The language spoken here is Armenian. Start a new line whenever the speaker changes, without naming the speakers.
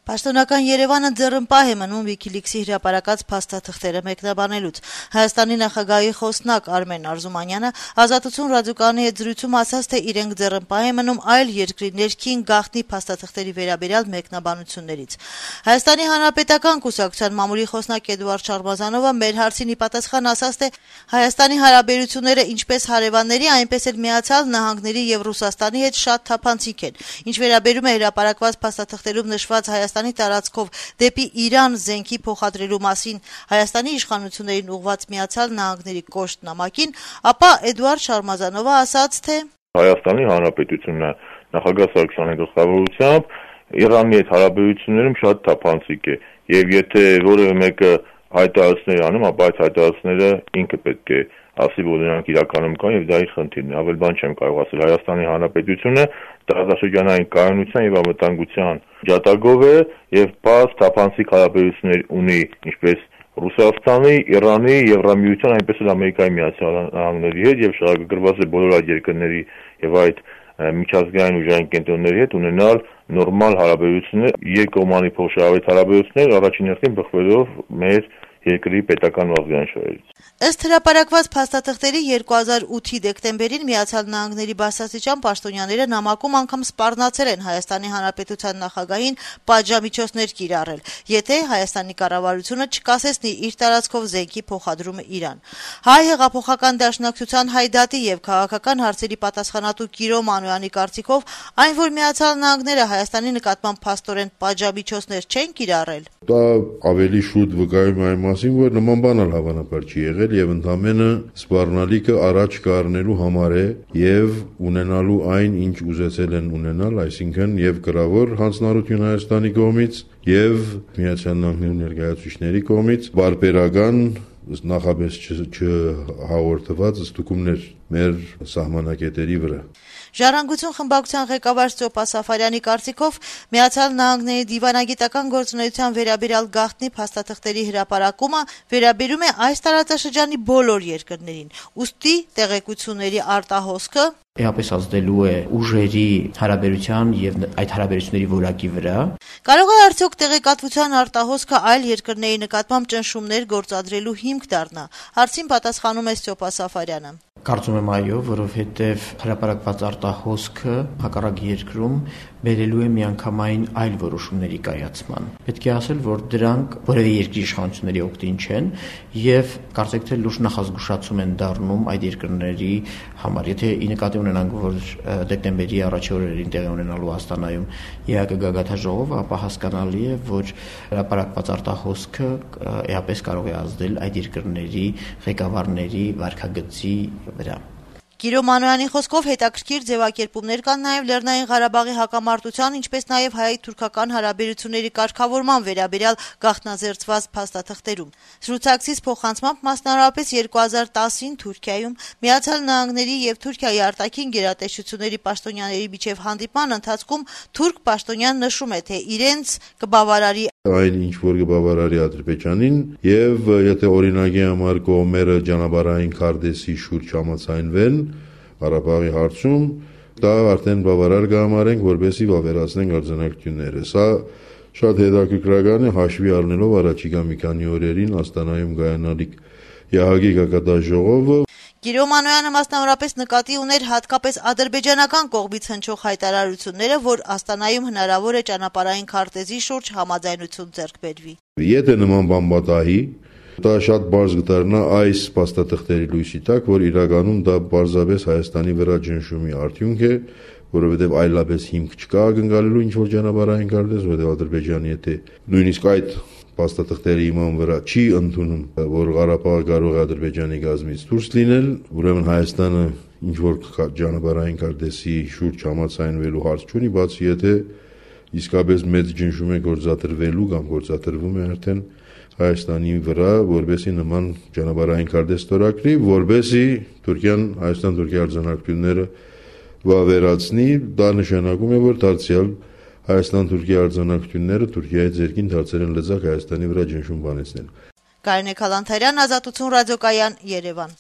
Պաշտոնական Երևանը ձեռնպահ է մնում Wikileaks-ի հրապարակած փաստաթղթերը մեկնաբանելուց։ Հայաստանի նախագահի խոսնակ Արմեն Արզումանյանը Ազատություն ռադիոկայանի հետ զրույցում ասաց, թե իրենք ձեռնպահ են մնում այլ երկրի ներքին գաղտնի փաստաթղթերի վերաբերյալ մեկնաբանություններից։ Հայաստանի Հանրապետական կուսակցության մամուլի խոսնակ Էդուարդ Շարմազանովը մեր հարցին ի պատասխան ասաց, թե Հայաստանի հարաբերությունները ինչպես հարևանների, այնպես էլ Միացյալ Նահանգների եւ Ռուսաստանի հետ շատ թափանցիկ են։ Ինչ վերաբերում է հրապարակված փաստաթղթերում նշված Հայաստանի տարածքով դեպի Իրան զենքի փոխադրելու մասին Հայաստանի իշխանություններին ուղղված Միացյալ Նահանգների կոշտ նամակին, ապա Էդուարդ Շարմազանովը ասաց, թե
Հայաստանի Հանրապետությունը նախագահ Սարգսյանի գլխավորությամբ Իրանի հետ հարաբերություններում շատ թափանցիկ է, եւ եթե որևէ մեկը հայտարարություններ անում, ապա այդ հայտարարությունները ինքը պետք է ասի, որ նրանք իրականում կան եւ դա իր խնդիրն է։ Ավել բան չեմ կարող ասել։ Հայաստանի Հանրապետությունը տարածաշրջանային կայունության եւ անվտանգության ջատագով է եւ պարզ թափանցիկ հարաբերություններ ունի ինչպես Ռուսաստանի, Իրանի, Եվրամիության, այնպես էլ Ամերիկայի Միացյալ Նահանգների հետ եւ շահագրգռված է բոլոր այդ երկրների եւ այդ միջազգային ուժային կենտրոնների հետ ունենալ նորմալ հարաբերություններ, երկկողմանի փոխշահավետ հարաբերություններ, առաջին հերթին բխվելով մեր երկրի պետական ազգային շահերից։
Ըստ հրապարակված փաստաթղթերի 2008-ի դեկտեմբերին Միացյալ Նահանգների բարձրաստիճան պաշտոնյաները նամակում անգամ սպառնացել են Հայաստանի Հանրապետության նախագահին պատժամիջոցներ կիրառել, եթե Հայաստանի կառավարությունը չկասեցնի իր տարածքով զենքի փոխադրումը Իրան։ Հայ հեղափոխական դաշնակցության Հայդատի եւ քաղաքական հարցերի պատասխանատու Կիրո Մանոյանի կարծիքով այն, որ Միացյալ Նահանգները Հայաստանի նկատմամբ փաստորեն պատժամիջոցներ չեն կիրառել,
դա ավելի շուտ վկայում է այն մասին, որ նման բան էլ հավանաբար չի եղել եւ ընդամենը սպառնալիքը առաջ կառնելու համար է եւ ունենալու այն, ինչ ուզեցել են ունենալ, այսինքն եւ գրավոր հանձնարարություն Հայաստանի կողմից եւ Միացյալ Նահանգների ներկայացուցիչների կողմից բարբերական նախապես չհաղորդված ստուգումներ մեր սահմանակետերի վրա։
Ժառանգություն խմբակցության ղեկավար Ստեփա Սաֆարյանի կարծիքով Միացյալ Նահանգների դիվանագիտական գործունեության վերաբերյալ գաղտնի փաստաթղթերի հրապարակումը վերաբերում է այս տարածաշրջանի բոլոր երկրներին, ուստի տեղեկությունների արտահոսքը
Էապես ազդելու է ուժերի հարաբերության եւ այդ հարաբերությունների որակի վրա։
Կարող է արդյոք տեղեկատվության արտահոսքը այլ երկրների նկատմամբ ճնշումներ գործադրելու հիմք դառնա։ Հարցին պատասխանում է Ստեփա Սաֆարյանը։
Կարծում եմ այո, որովհետև հրապարակված արտահոսքը հակառակ երկրում բերելու է միանգամայն այլ որոշումների կայացման։ Պետք է ասել, որ դրանք որևէ երկրի իշխանությունների օգտին չեն եւ կարծեք թե լուրջ նախազգուշացում են դառնում այդ երկրների համար։ Եթե ի նկատի ունենանք, որ դեկտեմբերի առաջին օրերին տեղի ունենալու Աստանայում ԵԱԿ գագաթաժողովը, ապա հասկանալի է, որ հրապարակված արտահոսքը էապես կարող է ազդել այդ երկրների ղեկավարների վարքագծի վրա։
Կիրո Մանոյանի խոսքով հետաքրքիր ձևակերպումներ կան նաև Լեռնային Ղարաբաղի հակամարտության, ինչպես նաև հայ-թուրքական հարաբերությունների կարգավորման վերաբերյալ գաղտնազերծված փաստաթղթերում։ Զրուցակցից փոխանցմամբ մասնավորապես 2010-ին Թուրքիայում Միացյալ Նահանգների եւ Թուրքիայի արտաքին գերատեսչությունների պաշտոնյաների միջև հանդիպման ընթացքում թուրք պաշտոնյան նշում է, թե իրենց կբավարարի
այն ինչ որ կբավարարի Ադրբեջանին եւ եթե օրինակի համար կողմերը ճանապարհային քարտեզի շուրջ համաձայնվեն Ղարաբաղի հարցում, դա արդեն բավարար կհամարենք, որպեսզի վավերացնենք արձանագրությունները։ Սա շատ հետաքրքրական է հաշվի առնելով առաջիկա մի քանի օրերին Աստանայում կայանալիք ԵԱՀԿ գագաթաժողովը։
Կիրո Մանոյանը մասնավորապես նկատի ուներ հատկապես ադրբեջանական կողմից հնչող հայտարարությունները, որ Աստանայում հնարավոր է ճանապարհային քարտեզի շուրջ համաձայնություն ձեռք բերվի։
Եթե նման բան պատահի, դա շատ բարձ կդառնա այս փաստաթղթերի լույսի տակ, որ իրականում դա պարզապես Հայաստանի վրա ճնշումի արդյունք է, որովհետև այլապես հիմք չկա ակնկալելու ինչ-որ ճանապարհային քարտեզ, որովհետև Ադրբեջանը եթե նույնիսկ այդ փաստաթղթերի իման վրա չի ընդունում, որ Ղարաբաղը կարող է Ադրբեջանի կազմից դուրս լինել, ուրեմն Հայաստանը ինչ-որ ճանապարհային քարտեզի շուրջ համաձայնվելու հարց չունի, բացի եթե իսկապես մեծ ճնշում է գործադրվելու կամ գործադրվում է արդեն Հայաստանի վրա, որբեսի նման ճանապարհային քարտեզ ստորագրի, որբեսի Թուրքիան Հայաստան-Թուրքիա արձանագրությունները վավերացնի, դա նշանակում է, որ դարձյալ Հայաստան-Թուրքիա արձանագրությունները Թուրքիայի ձեռքին դարձել են լծակ Հայաստանի վրա ճնշում բանեցնել։
Կարինե Քալանթարյան, Ազատություն ռադիոկայան, Երևան։